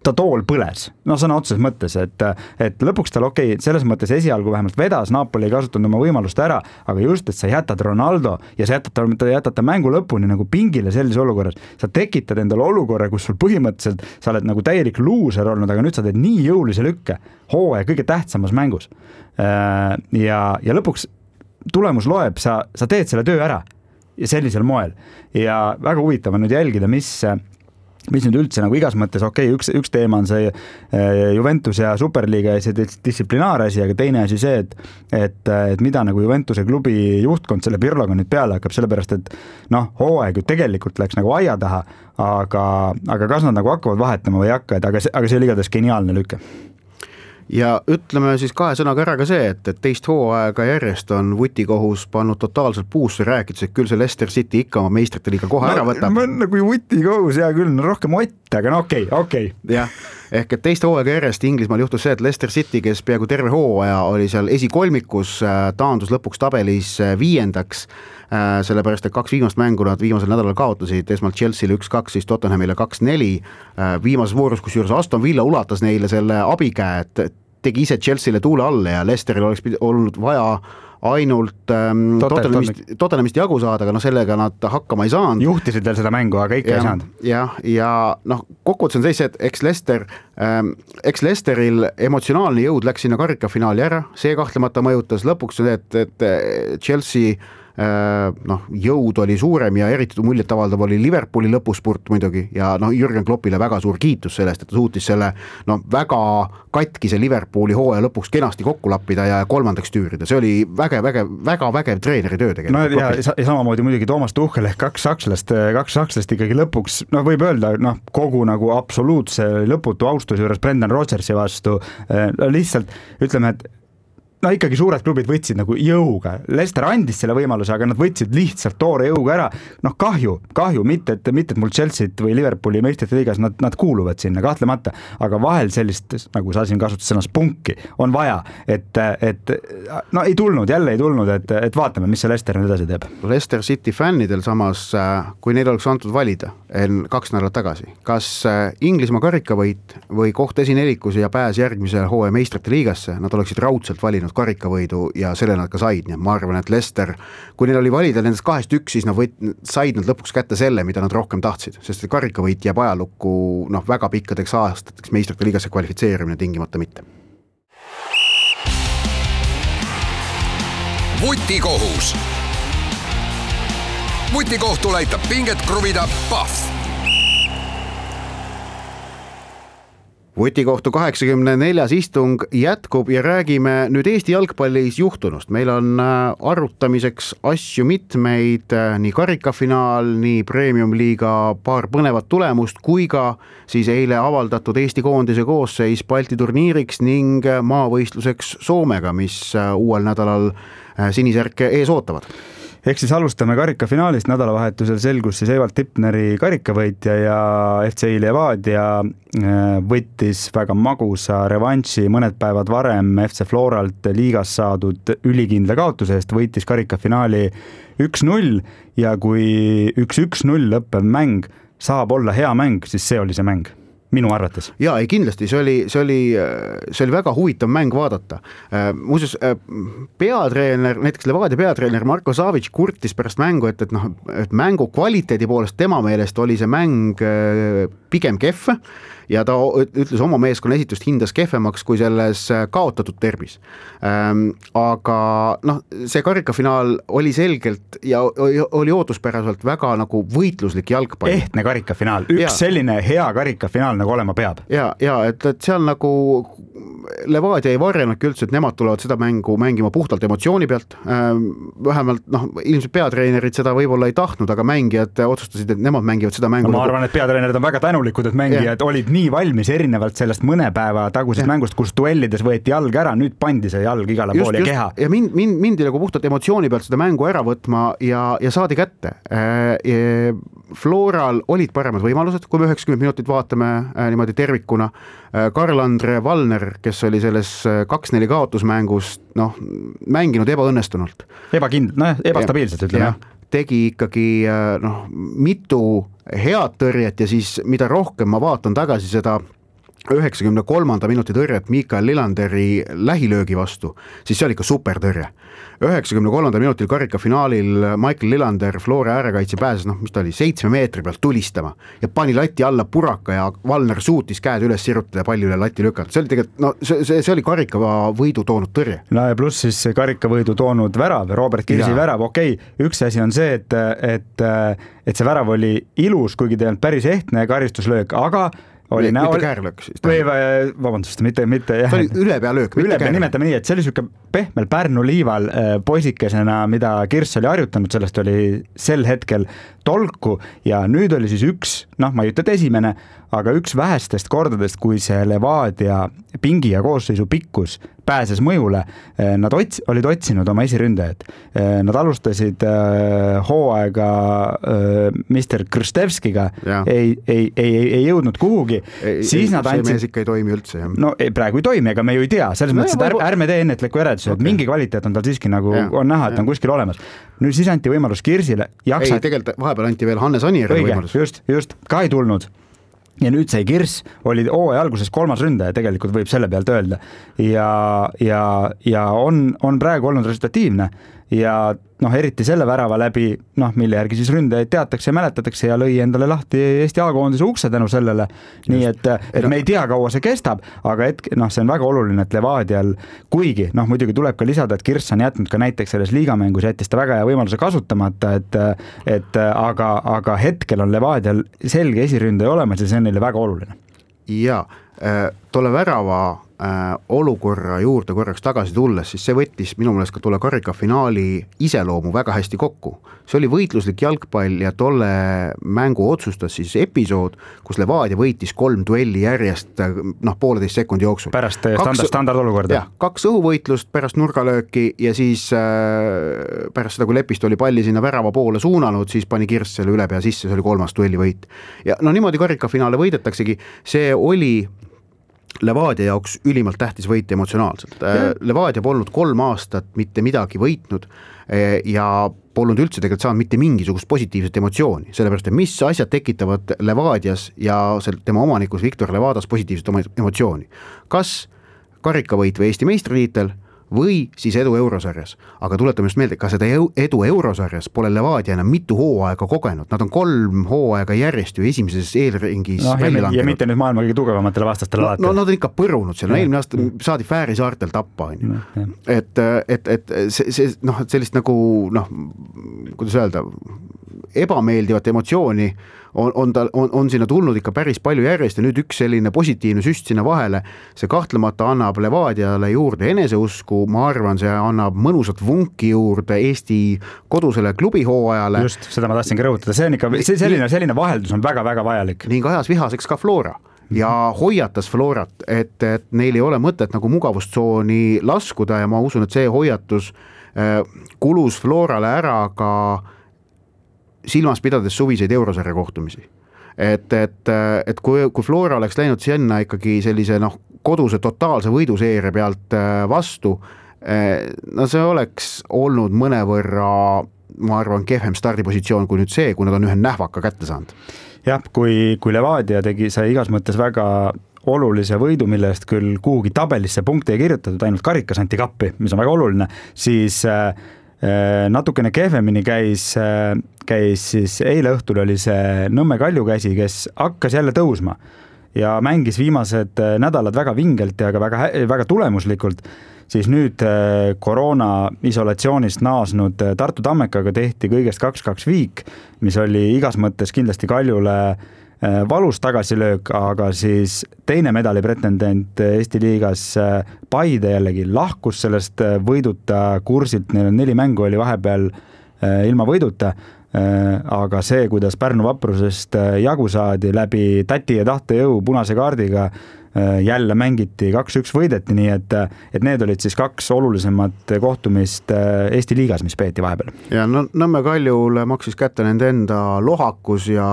D: ta tool põles, no sõna otseses mõttes, et, et lõpuks tal okei, okay, selles mõttes esialgu vähemalt vedas, Napoli ei kasutanud oma võimalust ära, aga just, et sa jätad Ronaldo ja sa jätad, jätad ta mängu lõpuni nagu pingile sellises olukorras, sa tekitad endale olukorra, kus sul põhimõtteliselt sa oled nagu täielik luuser olnud, aga nüüd sa teed nii jõulise lükke hooaja kõige tähtsamas mängus ja, ja lõpuks tulemus loeb, sa, sa teed selle töö ära ja sellisel moel ja väga huvitav on nüüd jälgida, mis mis nüüd üldse nagu igas mõttes, okei, okay, üks, üks teema on see Juventus ja Superliiga ja see distsiplinaar asi, aga teine asi see, et, et, et mida nagu Juventuse klubi juhtkond selle Pirloga nüüd peale hakkab, sellepärast et noh, hooaeg ju tegelikult läks nagu aia taha, aga, aga kas nad nagu hakkavad vahetama või ei hakka, et aga see, aga see oli igatahes geniaalne lüke.
C: Ja ütleme siis kahe sõnaga ära ka see, et, et teist hooaega järjest on vutikohus pannud totaalselt puusse rääkides, et küll see Leicester City ikka oma meistrite liiga kohe no, ära võtab.
D: Ma nagu vutikohus, hea küll, no rohkem ott, aga no okei, okay, okei. Okay.
C: Jah, ehk et teist hooaega järjest Inglismaal juhtus see, et Leicester City, kes peaaegu terve hooaja oli seal esikolmikus, taandus lõpuks tabelis viiendaks, sellepärast, et kaks viimast mängu nad viimasel nädalal kaotasid, esmalt Chelsea'le üks kaks, siis Tottenhamile kaks neli, viimases voorus, kus juures Aston Villa ulatas neile selle abikäe, et tegi ise Chelsea'le tuule alle ja Leicesteril oleks olnud vaja ainult ähm, Tottenhamist, Tottenhamist jagu saada, aga no sellega nad hakkama ei saanud.
D: Juhtisid veel seda mängu, aga ikka
C: ja,
D: ei saanud.
C: Ja, ja noh, kokkuvõttes on see, et eks Leicester, ähm, eks Leicesteril emotsionaalne jõud läks sinna karikafinaali ära, see kahtlemata mõjutas lõpuks, et, et Chelsea noh, jõud oli suurem ja eriti muljet avaldav oli Liverpooli lõpuspurt muidugi ja noh, Jürgen Kloppile väga suur kiitus sellest, et ta suutis selle noh, väga katkise Liverpooli hooaja lõpuks kenasti kokku lappida ja kolmandaks tüürida, see oli vägev, vägev, väga vägev treeneri töö tegelikult.
D: No ja, ja samamoodi muidugi Toomas Tuchel ehk kaks sakslast, kaks sakslast ikkagi lõpuks, noh võib öelda, noh kogu nagu absoluutse lõputu austus juures Brendan Rodgersi vastu, lihtsalt ütleme, et no ikkagi suured klubid võtsid nagu jõuga, Leicester andis selle võimaluse, aga nad võtsid lihtsalt toore jõuga ära, noh kahju, kahju, mitte et, mitte et mul Chelsea'd või Liverpooli meistrite liigas, nad, nad kuuluvad sinna kahtlemata, aga vahel sellist, nagu sa siin kasutas sõnas punki, on vaja, et, et no ei tulnud, jälle ei tulnud, et, et vaatame, mis see Leicester nüüd edasi teeb.
C: Leicester City fännidel samas, kui neil oleks antud valida kaks nädalat tagasi, kas Inglismaa karikavõit või koht esinelikus ja pääs järgmise hooaja meistrite liigasse, nad oleksid raudselt valinud karikavõidu ja selle nad ka said, nii et ma arvan, et Leicester, kui neil oli valida nendest kahest üks, siis nad võit, said nad lõpuks kätte selle, mida nad rohkem tahtsid, sest karikavõit jääb ajalukku noh, väga pikkadeks aastateks meistrite liigasse kvalifitseerimine tingimata mitte.
B: Vutikohus. Vutikohtul aitab pinget kruvida Pahv.
C: Vutikohtu kaheksakümne neljas istung jätkub ja räägime nüüd Eesti jalgpallis juhtunust. Meil on arutamiseks asju mitmeid, nii karikafinaal, nii premium-liiga paar põnevat tulemust, kui ka siis eile avaldatud Eesti koondise koosseis Balti turniiriks ning maavõistluseks Soomega, mis uuel nädalal sinisärke ees ootavad.
D: Ehk siis alustame karikafinaalist, nädalavahetusel selgus siis Evald Tipneri karikavõitja ja F C Levadia võttis väga magusa revanši mõned päevad varem F C Floralt liigas saadud ülikindla kaotuse eest, võitis karikafinaali üks null ja kui üks üks null lõppev mäng saab olla hea mäng, siis see oli see mäng. Minu arvates.
C: Jaa, ei kindlasti, see oli, see oli, see oli väga huvitav mäng vaadata. Muuseas, peatreener, näiteks Levadia peatreener Marko Savic kurtis pärast mängu, et, et, noh, et mängu kvaliteedi poolest tema meelest oli see mäng pigem kehv ja ta ütles oma meeskonna esitust hindas kehvemaks kui selles kaotatud derbis. Aga noh, see karikafinaal oli selgelt ja oli ootuspäraselt väga nagu võitluslik jalgpall.
D: Ehtne karikafinaal, üks ja. Selline hea karikafinaal nagu olema peab.
C: Ja, ja et, et seal nagu Levadia ei varjanudki üldse, et nemad tulevad seda mängu mängima puhtalt emotsiooni pealt. Vähemalt noh, ilmselt peatreenerid seda võib-olla ei tahtnud, aga mängijad otsustasid, et nemad mängivad seda mängu.
D: No, ma arvan, et peatreenerid on väga tänulikud, et mängijad ja. Olid nii valmis erinevalt sellest mõne päeva tagusest ja. Mängust, kus duellides võeti jalg ära, nüüd pandi see jalg igale pool ja keha.
C: Ja mind, mind, mindi nagu puhtalt emotsiooni pealt seda mängu ära võtma ja, ja saadi kätte. Floral olid paremad võimalused, kui me üheksakümmend minutit vaatame niimoodi tervikuna. Karl-Andre Valner, kes oli selles kaks neli kaotusmängust, noh, mänginud ebaõnnestunult.
D: Ebakind, noh, ebastabiilselt ütleme.
C: Tegi ikkagi noh, mitu head tõrjet ja siis mida rohkem ma vaatan tagasi seda üheksakümne kolmanda minuti tõrjet Mikael Lilanderi lähilöögi vastu, siis see oli ikka super tõrje. üheksakümne kolmanda minutil karikafinaalil Michael Lillander Flora äärekaitse pääses, noh, mis ta oli, seitsme meetri pealt tulistama ja pani lati alla puraka ja Valner suutis käed üles sirutada ja palli üle lati lükata. See oli tegelikult, no see, see, see oli karikava võidu toonud tõrje.
D: No ja pluss siis karikavõidu toonud värav, Robert Kirsi ja. Värav, okei, okay, üks asi on see, et, et, et see värav oli ilus, kuigi ta ei olnud päris ehtne karistuslöök, aga oli
C: mitte
D: näol...
C: käärlöök siis.
D: Või, vabandust, mitte, mitte jah.
C: See oli ülepea löök, mitte
D: ülepea, nimetame nii, et see oli siuke pehmel Pärnu liival poisikesena, mida Kirss oli harjutanud, sellest oli sel hetkel tolku ja nüüd oli siis üks, noh, ma ei ütle, et esimene, aga üks vähestest kordadest, kui see Levadia pingi ja koosseisu pikkus pääses mõjule, nad ots, olid otsinud oma esiründajad. Nad alustasid hooaega mister Krstevskiga, ei, ei, ei, ei jõudnud kuhugi.
C: Ei,
D: siis
C: ei,
D: nad
C: see
D: andsid...
C: mees ikka ei toimi üldse. Jah.
D: No ei, praegu ei toimi, ega me ju ei tea. Selles no, mõttes, et ärme, ärme tee ennetliku järelduse, okay. Et mingi kvaliteet on tal siiski nagu ja, on näha, et ja. On kuskil olemas. Nüüd siis anti võimalus Kirsile. Jaksa...
C: Ei, tegelikult vahepeal anti veel Hannes Anieri võimalus.
D: Just, just, ka ei tulnud. ja nüüd see Kirss oli hooaja alguses kolmas ründaja, tegelikult võib selle pealt öelda ja, ja, ja on, on praegu olnud resultatiivne ja noh, eriti selle värava läbi, noh, mille järgi siis ründajaid teatakse ja mäletatakse ja lõi endale lahti Eesti A-koondise ukse tänu sellele. Nii et, et me ei tea, kaua see kestab, aga et, noh, see on väga oluline, et Levadial, kuigi, noh, muidugi tuleb ka lisada, et Kirss on jätnud ka näiteks selles liigamängus, jättis ta väga hea võimaluse kasutamata, et, et aga, aga hetkel on Levadial selge esiründaja olemas ja see on neile väga oluline.
C: Ja tolle värava olukorra juurde korraks tagasi tulles, siis see võttis minu meelest ka tolle karikafinaali iseloomu väga hästi kokku. See oli võitluslik jalgpall ja tolle mängu otsustas siis episood, kus Levadia võitis kolm duelli järjest noh, pooleteist sekundi jooksul.
D: Pärast standard, standardolukorda.
C: Jah, kaks õhuvõitlust pärast nurgalööki ja siis äh, pärast seda, kui Lepist oli palli sinna värava poole suunanud, siis pani Kirss selle üle pea sisse, see oli kolmas duelli võit. Ja no niimoodi karikafinaale võidetaksegi, see oli Levadia jaoks ülimalt tähtis võit emotsionaalselt. Levadia polnud kolm aastat mitte midagi võitnud ja polnud üldse tegelikult saanud mitte mingisugust positiivset emotsiooni, sellepärast, et mis asjad tekitavad Levadias ja tema omanikus Viktor Levadas positiivset emotsiooni. Kas karikavõit või Eesti meistritiitel või siis edu eurosarjas. Aga tuletame just meelde, ka seda edu eurosarjas pole Levadia enam mitu hooaega kogenud. Nad on kolm hooaega järjest ju esimeses eelringis
D: no, välja langenud. Ja mitte nüüd maailma kõige tugevamatele vastastele alati.
C: No, no nad on ikka põrunud seal. No, eelmine aasta saadi Fääri saartel tappa. No, et, et, et see, see, noh, sellist nagu, noh, kuidas öelda, ebameeldivat emotsiooni on, on, ta, on, on sinna tulnud ikka päris palju järjest ja nüüd üks selline positiivne süst sinna vahele, see kahtlemata annab Levadiale juurde eneseusku, ma arvan, see annab mõnusat vunki juurde Eesti kodusele klubihooajale.
D: Just, seda ma tahtsingi rõhutada, see on ikka, see selline, selline vaheldus on väga-väga vajalik.
C: Ning ajas vihaseks ka Flora ja hoiatas Florat, et, et neil ei ole mõtet nagu mugavustsooni laskuda ja ma usun, et see hoiatus äh, kulus Florale ära ka silmas pidades suviseid eurosarja kohtumisi. Et, et, et kui, kui Flora oleks läinud sinna ikkagi sellise noh, koduse totaalse võiduseeria pealt vastu, no see oleks olnud mõnevõrra, ma arvan, kehvem stardipositsioon kui nüüd see, kui nad on ühe nähvaka kätte saanud.
D: Jah, kui, kui Levadia tegi see igas mõttes väga olulise võidu, mille eest küll kuhugi tabelisse punkte ei kirjutatud, ainult karikas anti kappi, mis on väga oluline, siis natukene kehvemini käis, käis siis eile õhtul oli see Nõmme Kalju käsi, kes hakkas jälle tõusma ja mängis viimased nädalad väga vingelt ja ka väga, väga tulemuslikult, siis nüüd koroona isolatsioonist naasnud Tartu Tammekaga tehti kõigest kaks kaks viik, mis oli igas mõttes kindlasti Kaljule valus tagasilöök, aga siis teine medali pretendent Eesti liigas Paide jällegi lahkus sellest võiduta kursilt, neil on neli mängu oli vahepeal ilma võiduta, aga see, kuidas Pärnu vaprusest jagu saadi läbi tati ja tahtejõu punase kaardiga, jälle mängiti kaks üks võideti, nii et, et need olid siis kaks olulisemat kohtumist Eesti liigas, mis peeti vahepeal.
C: Ja no, Nõmme Kaljule maksis kätte nende enda lohakus ja,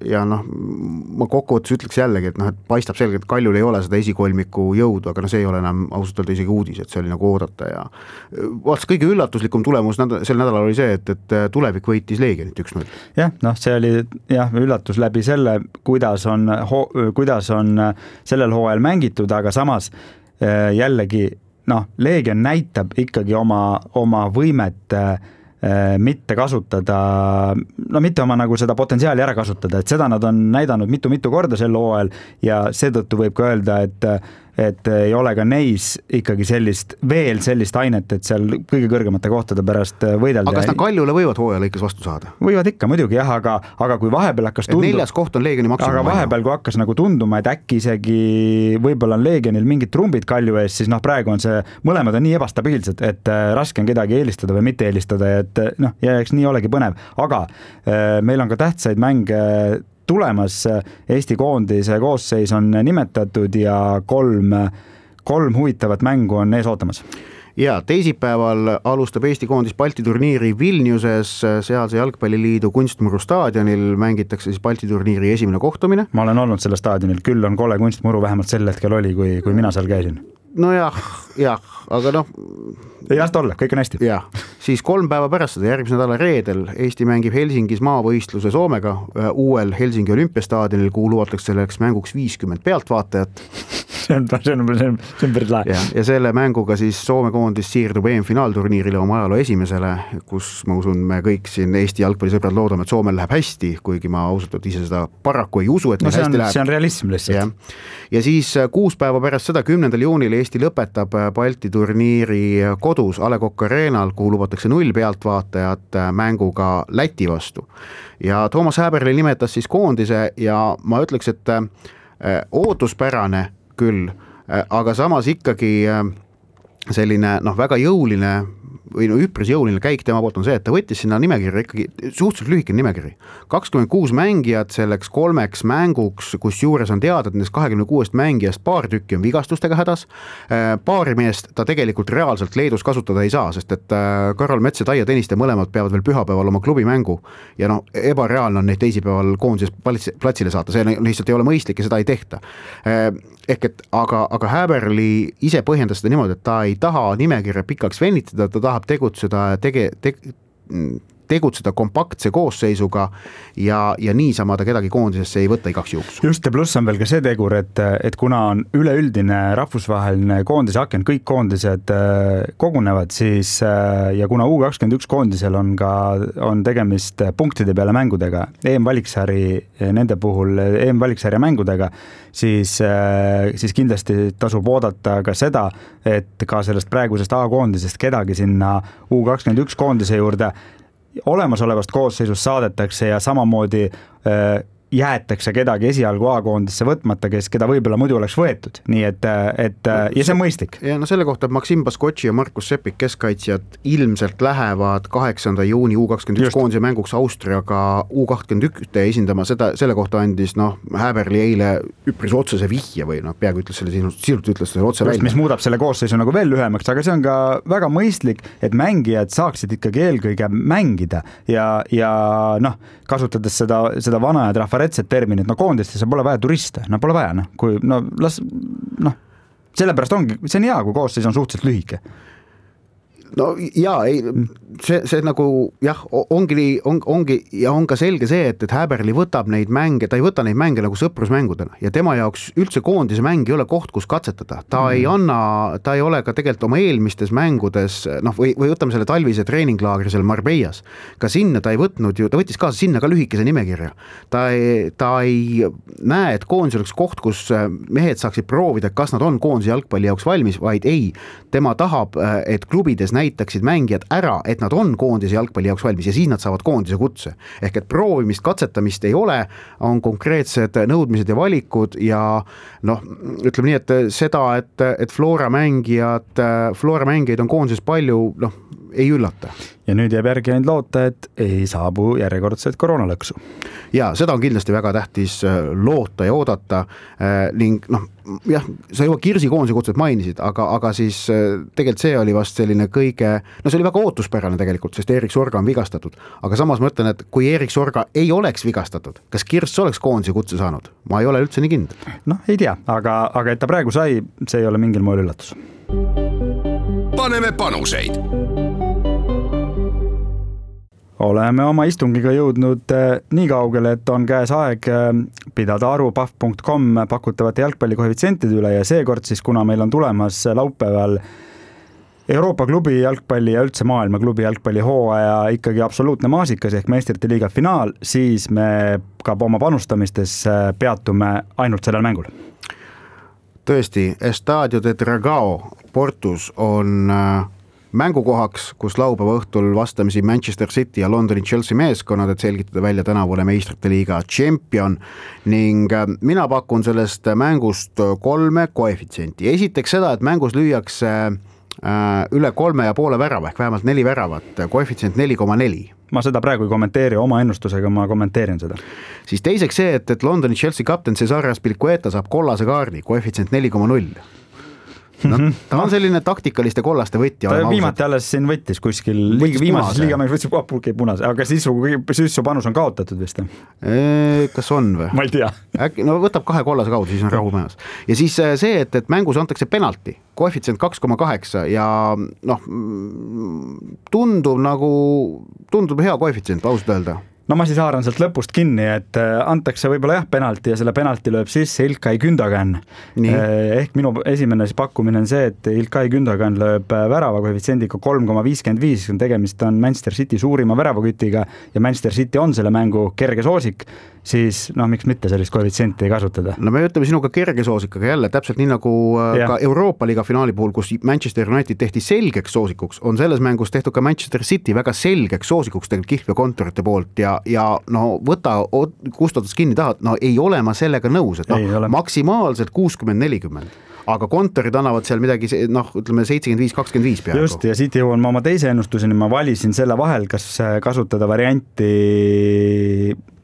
C: ja noh, ma kokkuvõttes ütleks jällegi, et noh, et paistab selgelt, et Kaljul ei ole seda esikolmiku jõudu, aga no see ei ole enam ausalt öelda isegi uudis, et see oli nagu oodata ja vaats kõige üllatuslikum tulemus sel nädalal oli see, et, et tulevik võitis Leegionit üks null.
D: Jah, noh, see oli jah, üllatus läbi selle, kuidas on, kuidas on sellel hooajal mängitud, aga samas jällegi, noh, Leegion näitab ikkagi oma, oma võimet mitte kasutada, no mitte oma nagu seda potentsiaali ära kasutada, et seda nad on näidanud mitu-mitu korda sel hooajal ja seetõttu võib ka öelda, et et ei ole ka neis ikkagi sellist, veel sellist ainet, et seal kõige kõrgemate kohtade pärast võidelda.
C: Aga kas nad Kaljule võivad hooaja lõikes vastu saada?
D: Võivad ikka, muidugi jah, aga, aga kui vahepeal hakkas tunduma...
C: Neljas koht on Leegioni maksimum.
D: Aga vahepeal, kui hakkas nagu tunduma, et äkki isegi võib-olla on Leegionil mingid trumbid Kalju ees, siis noh, praegu on see, mõlemad on nii ebastabiilsed, et raske on kedagi eelistada või mitte eelistada, et noh, ja eks nii olegi põnev. Aga meil on ka tähtsaid mänge tulemas, Eesti koondise koosseis on nimetatud ja kolm, kolm huvitavat mängu on ees ootamas.
C: Ja teisipäeval alustab Eesti koondis Balti turniiri Vilniuses, sealse jalgpalliliidu kunstmuru staadionil mängitakse siis Balti turniiri esimene kohtumine.
D: Ma olen olnud selle staadionil, küll on kole kunstmuru vähemalt sel hetkel oli, kui, kui mina seal käisin.
C: No jah, jah, aga noh...
D: Ei lasta olla, kõik on hästi.
C: Jah. siis kolm päeva pärast seda järgmise nädala reedel Eesti mängib Helsingis maavõistluse Soomega uuel Helsingi olümpiastaadionil, kuhu luvatakse selleks mänguks viiskümmend pealtvaatajat.
D: See on, see on, see on, see on päris lahe.
C: Ja, ja selle mänguga siis Soome koondis siirdub E M-finaalturniirile oma ajaloo esimesele, kus ma usun, me kõik siin Eesti jalgpallisõbrad loodame, et Soomel läheb hästi, kuigi ma ausalt ise seda paraku ei usu, et
D: no, see,
C: hästi
D: on,
C: läheb.
D: see on realism lihtsalt.
C: Ja. ja siis kuus päeva pärast seda, kümnendal juunil Eesti lõpetab Balti turniiri kodus A Le Coq Arenal, kuhu lubatakse null pealtvaatajat mänguga Läti vastu. Ja Toomas Häberli nimetas siis koondise ja ma ütleks, et ootuspärane küll, aga samas ikkagi selline noh, väga jõuline või no üpris jõuline käik tema poolt on see, et ta võttis sinna nimekirja ikkagi suhteliselt lühike nimekiri. kakskümmend kuus mängijat selleks kolmeks mänguks, kus juures on teada, et nendest kahekümne kuuest mängijast paar tükki on vigastustega hädas. Paari meest ta tegelikult reaalselt Leedus kasutada ei saa, sest et Karol Mets ja Taia Tõniste mõlemad peavad veel pühapäeval oma klubi mängu ja noh, ebareaalne on neid teisipäeval koondises platsile saata, see lihtsalt ei ole mõistlik ja seda ei tehta. Ehk et aga, aga Häberli ise põhjendas seda niimoodi, et ta ei taha nimekirja pikaks venitada, ta tahab tegutseda, tege, te, tegutseda kompaktse koosseisuga ja, ja niisama ta kedagi koondisesse ei võtta igaks juhuks.
D: Just ja pluss on veel ka see tegur, et, et kuna on üleüldine rahvusvaheline koondise aken, kõik koondised kogunevad, siis ja kuna U kakskümmend üks koondisel on ka on tegemist punktide peale mängudega, E M-valiksari nende puhul E M-valiksarja mängudega, siis, siis kindlasti tasub oodata ka seda, et ka sellest praegusest A-koondisest kedagi sinna U kakskümmend üks koondise juurde olemasolevast koosseisust saadetakse ja samamoodi äh, jäetakse kedagi esialgu A-koondisse võtmata, kes, keda võib-olla muidu oleks võetud. Nii et, et ja see on mõistlik.
C: Ja no selle kohta Maksim Baskotši ja Markus Sepik keskkaitsjad ilmselt lähevad kaheksanda juuni U kakskümmend üks koondise mänguks Austriaga U kakskümmend üks esindama. Seda, selle kohta andis noh, Häberli eile üpris otsese vihje või noh, peaaegu ütles selle sinust, sisult ütles selle otse välja.
D: Mis muudab selle koosseisu nagu veel lühemaks, aga see on ka väga mõistlik, et mängijad saaksid ikkagi eelkõige mängida ja, ja noh, kasutades seda, seda vana ja trafaretset terminit, no koondistesse pole vaja turiste, no pole vaja, no kui no las, noh, sellepärast ongi, see on hea, kui koosseis on suhteliselt lühike.
C: No jaa, ei, see, see nagu jah, ongi, on, ongi ja on ka selge see, et, et Häberli võtab neid mänge, ta ei võta neid mänge nagu sõprusmängudena ja tema jaoks üldse koondise mäng ei ole koht, kus katsetada. Ta mm. ei anna, ta ei ole ka tegelikult oma eelmistes mängudes, noh või, või võtame selle talvise treeninglaagri seal Marbellas, ka sinna ta ei võtnud ju, ta võttis kaasa sinna ka lühikese nimekirja. Ta ei, ta ei näe, et koondis oleks koht, kus mehed saaksid proovida, kas nad on koondise jalgpalli jaoks valmis, vaid ei, tema tahab, et klubides näitaksid mängijad ära, et nad on koondise jalgpalli jaoks valmis ja siis nad saavad koondise kutse. Ehk et proovimist, katsetamist ei ole, on konkreetsed nõudmised ja valikud ja noh, ütleme nii, et seda, et, et Flora mängijad, Flora mängijaid on koondises palju, noh, ei üllata.
D: Ja nüüd jääb järgi ainult loota, et ei saabu järjekordset koroonalõksu.
C: Ja seda on kindlasti väga tähtis loota ja oodata ning noh, jah, sa juba Kirsi koondise kutset mainisid, aga, aga siis tegelikult see oli vast selline kõige, no see oli väga ootuspärane tegelikult, sest Erik Sorga on vigastatud, aga samas ma ütlen, et kui Erik Sorga ei oleks vigastatud, kas Kirs oleks koondise kutse saanud? Ma ei ole üldse nii kindel.
D: Noh, ei tea, aga, aga et ta praegu sai, see ei ole mingil moel üllatus.
B: Paneme panuseid.
D: Oleme oma istungiga jõudnud nii kaugele, et on käes aeg pidada aru pahv punkt com pakutavate jalgpallikoefitsientide üle ja seekord siis, kuna meil on tulemas laupäeval Euroopa klubi jalgpalli ja üldse maailma klubi jalgpalli hooaja ikkagi absoluutne maasikas ehk meistrite liiga finaal, siis me ka oma panustamistes peatume ainult sellel mängul.
C: Tõesti, Estadio de Dragao Portus on mängukohaks, kus laupäeva õhtul vastamisi Manchester City ja Londoni Chelsea meeskonnad, et selgitada välja tänavune meistrite liiga tšempion ning mina pakun sellest mängust kolme koefitsienti. Esiteks seda, et mängus lüüakse üle kolme ja poole värava ehk vähemalt neli väravat, koefitsient neli koma neli.
D: Ma seda praegu ei kommenteeri, oma ennustusega ma kommenteerin seda.
C: Siis teiseks see, et, et Londoni Chelsea kapten Cesar Azpilicueta saab kollase kaardi, koefitsient neli koma null. no, ta on selline taktikaliste kollaste võtja.
D: Ta viimati alles siin võttis kuskil liiga, viimases liigamängus võttis apulki punase, aga sisu, sisu panus on kaotatud vist.
C: E, kas on või?
D: Ma ei tea.
C: Äkki, no võtab kahe kollase kaudu, siis on rahu majas. Ja siis see, et, et mängus antakse penalti, koefitsient kaks koma kaheksa ja noh, tundub nagu, tundub hea koefitsient, ausalt öelda.
D: No ma siis haaran sealt lõpust kinni, et antakse võib-olla jah penalti ja selle penalti lööb sisse Ilkay Gündogan. Ehk minu esimene pakkumine on see, et Ilkay Gündogan lööb värava koefitsiendiga kolm koma viiskümmend viis, tegemist on Manchester City suurima väravakütiga ja Manchester City on selle mängu kerge soosik, siis noh, miks mitte sellist koefitsienti kasutada?
C: No me ütleme sinuga kerge soosik, aga jälle täpselt nii nagu ja. Ka Euroopa Liiga finaali puhul, kus Manchester United tehti selgeks soosikuks, on selles mängus tehtud ka Manchester City väga selgeks soosikuks tegelikult Kihlve kontorite poolt ja ja no võta, kustutades kinni tahad, no ei ole ma sellega nõus, et no, maksimaalselt kuuskümmend nelikümmend, aga kontorid annavad seal midagi, noh, ütleme seitsekümmend viis kakskümmend viis peaaegu.
D: Just, ja siit jõuan ma oma teise ennustuseni, ma valisin selle vahel, kas kasutada varianti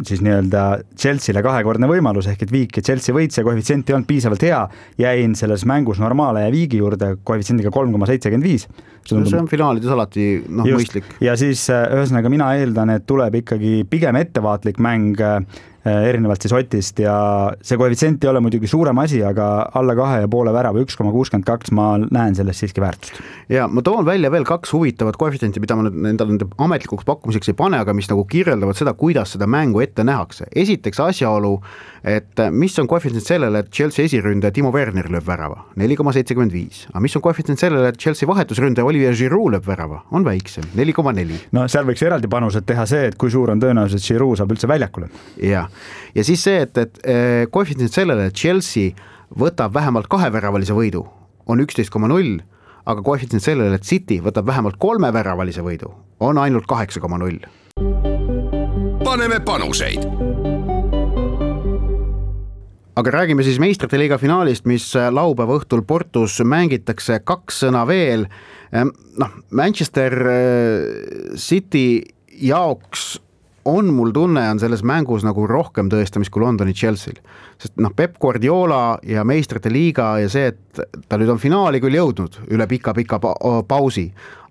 D: siis nii-öelda Chelseale kahekordne võimalus, ehk et viik ja Chelsea võits ja koefitsient ei olnud piisavalt hea, jäin selles mängus normaale ja viigi juurde koefitsiendiga kolm koma seitsekümmend viis.
C: See on finaalides alati noh, mõistlik.
D: Ja siis ühesõnaga mina eeldan, et tuleb ikkagi pigem ettevaatlik mäng erinevalt siis Otist ja see koefitsient ei ole muidugi suurem asi, aga alla kahe ja poole värava üks koma kuuskümmend kaks ma näen sellest siiski väärtust.
C: Ja ma toon välja veel kaks huvitavat koefitsienti, mida ma nüüd endale nende ametlikuks pakkumiseks ei pane, aga mis nagu kirjeldavad seda, kuidas seda mängu ette nähakse. Esiteks asjaolu, et mis on koefitsient sellele, et Chelsea esiründaja Timo Werner lööb värava, neli koma seitsekümmend viis. Aga mis on koefitsient sellele, et Chelsea vahetusründaja Olivier Giroud lööb värava, on väiksem, neli koma neli.
D: No seal võiks eraldi panused teha see, et kui suur on tõenäoliselt Giroud saab üldse väljakule.
C: Ja, ja siis see, et, et koefitsient sellele, et Chelsea võtab vähemalt kaheväravalise võidu, on üksteist koma null, aga koefitsient sellele, et City võtab vähemalt kolme väravalise võidu, on ainult kaheksa koma null.
B: Paneme panuseid.
C: Aga räägime siis meistrite liiga finaalist, mis laupäeva õhtul Portus mängitakse, kaks sõna veel. Noh, Manchester City jaoks on mul tunne, on selles mängus nagu rohkem tõestamist kui Londoni Chelsea'l. Sest noh, Pep Guardiola ja meistrite liiga ja see, et ta nüüd on finaali küll jõudnud üle pika-pika pausi,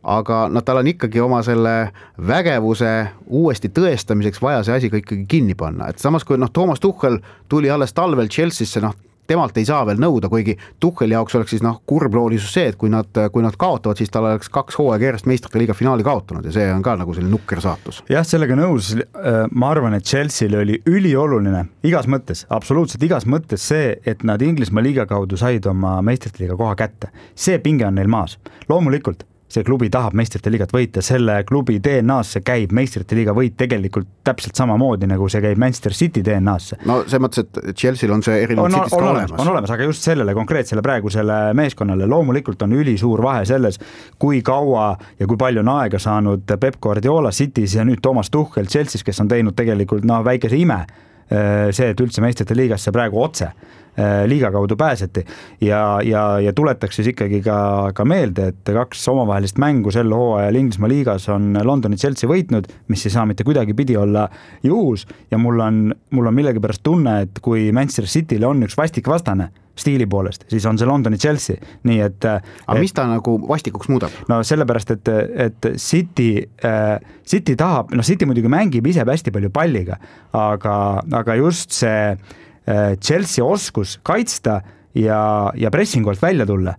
C: aga no, tal on ikkagi oma selle vägevuse uuesti tõestamiseks vaja see asi ka ikkagi kinni panna. Et samas kui noh, Thomas Tuchel tuli alles talvel Chelsea'sse, noh, temalt ei saa veel nõuda, kuigi Tucheli jaoks oleks siis noh, kurbloolisuus see, et kui nad, kui nad kaotavad, siis tal oleks kaks hooaega järjest meistrite liiga finaali kaotanud ja see on ka nagu selline nukker saatus.
D: Jah, sellega nõus. Ma arvan, et Chelsea'l oli ülioluline igas mõttes, absoluutselt igas mõttes see, et nad Inglismaa liiga kaudu said oma meistrite liiga koha kätte. See pinge on neil maas. Loomulikult see klubi tahab meistrite liigat võita, selle klubi D N A-sse käib meistrite liiga võit tegelikult täpselt samamoodi, nagu see käib Manchester City D N A-sse.
C: No see mõttes, et Chelsea'l on see erinevalt
D: on,
C: City'st
D: on,
C: ka
D: olemas.
C: olemas.
D: On olemas, aga just sellele konkreetsele praegusele meeskonnale loomulikult on ülisuur vahe selles, kui kaua ja kui palju on aega saanud Pep Guardiola City's ja nüüd Thomas Tuchel Chelsea's, kes on teinud tegelikult no, väikese ime, see, et üldse meistrite liigasse praegu otse liiga kaudu pääseti ja, ja, ja tuletaks siis ikkagi ka, ka meelde, et kaks omavahelist mängu sel hooajal Inglismaa liigas on Londoni Chelsea võitnud, mis ei saa mitte kuidagi pidi olla juhus ja mul on, mul on millegipärast tunne, et kui Manchester City'le on üks vastik vastane stiili poolest, siis on see Londoni Chelsea, nii et
C: aga mis ta nagu vastikuks muudab?
D: No sellepärast, et, et City, äh, City tahab, no City muidugi mängib ise hästi palju palliga, aga, aga just see Chelsea oskus kaitsta ja, ja pressingolt välja tulla.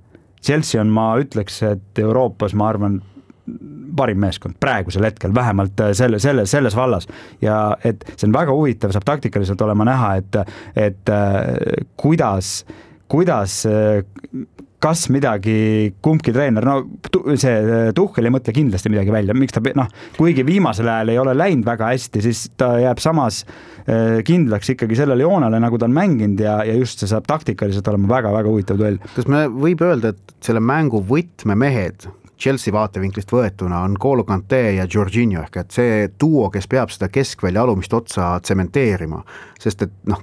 D: Chelsea on, ma ütleks, et Euroopas, ma arvan, parim meeskond praegusel hetkel, vähemalt selle, selle, selles vallas. Ja et see on väga huvitav, saab taktikaliselt olema näha, et, et kuidas, kuidas kas midagi kumbki treener, no see Tuchel ei mõtle kindlasti midagi välja, miks ta, noh, kuigi viimasel ajal ei ole läinud väga hästi, siis ta jääb samas kindlaks ikkagi sellele joonele, nagu ta on mänginud ja, ja just see saab taktikaliselt olema väga-väga huvitav duell.
C: Kas me võib öelda, et selle mängu võtmemehed Chelsea vaatevinklist võetuna on N'Golo Kanté ja Jorginho ehk et see duo, kes peab seda keskvälja alumist otsa tsementeerima, sest et noh,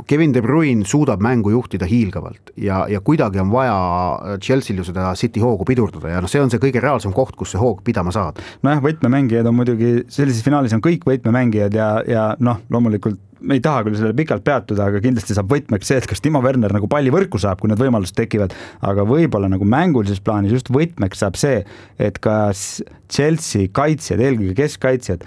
C: Kevin De Bruyne suudab mängu juhtida hiilgavalt ja, ja kuidagi on vaja Chelsea'l ju seda City hoogu pidurdada ja noh, see on see kõige reaalsem koht, kus see hoog pidama saad.
D: Nojah, võtmemängijad on muidugi, sellises finaalis on kõik võtmemängijad ja, ja noh, loomulikult me ei taha küll selle pikalt peatuda, aga kindlasti saab võtmeks see, et kas Timo Werner nagu palli võrku saab, kui need võimalused tekivad, aga võib-olla nagu mängulises plaanis just võtmeks saab see, et kas Chelsea kaitsjad, eelkõige keskkaitsjad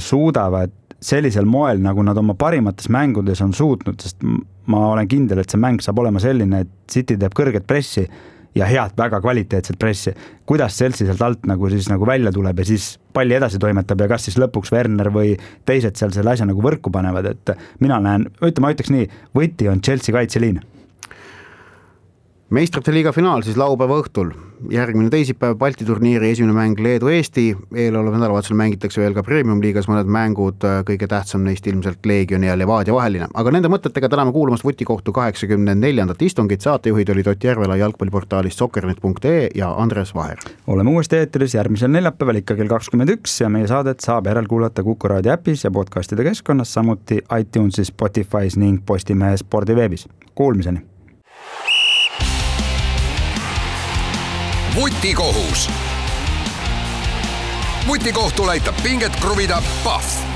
D: suudavad sellisel moel, nagu nad oma parimates mängudes on suutnud, sest ma olen kindel, et see mäng saab olema selline, et City teeb kõrget pressi ja head, väga kvaliteetset pressi. Kuidas Chelsea sealt alt nagu siis nagu välja tuleb ja siis palli edasi toimetab ja kas siis lõpuks Werner või teised seal selle asja nagu võrku panevad, et mina näen, ütleme, ma ütleks nii, võti on Chelsea kaitseliin.
C: Meistrite liiga finaal siis laupäeva õhtul, järgmine teisipäev Balti turniiri esimene mäng Leedu-Eesti, eelolev nädalavahetusel mängitakse veel ka Premium liigas mõned mängud, kõige tähtsam neist ilmselt Leegioni ja Levadia vaheline. Aga nende mõtetega täname kuulamast Vutikohtu kaheksakümne neljandat istungit, saatejuhid olid Ott Järvela jalgpalliportaalist soccernet punkt ee ja Andres Vaher.
D: Oleme uuesti eetris järgmisel neljapäeval ikka kell kakskümmend üks ja meie saadet saab järelkuulata Kuku Raadio äpis ja podcastide keskkonnas, samuti iTunesis, Spotify's ning Postimehe spordiveebis. Kuulmiseni!
B: Vutikohus. Vutikohtul aitab pinget kruvida Pahv.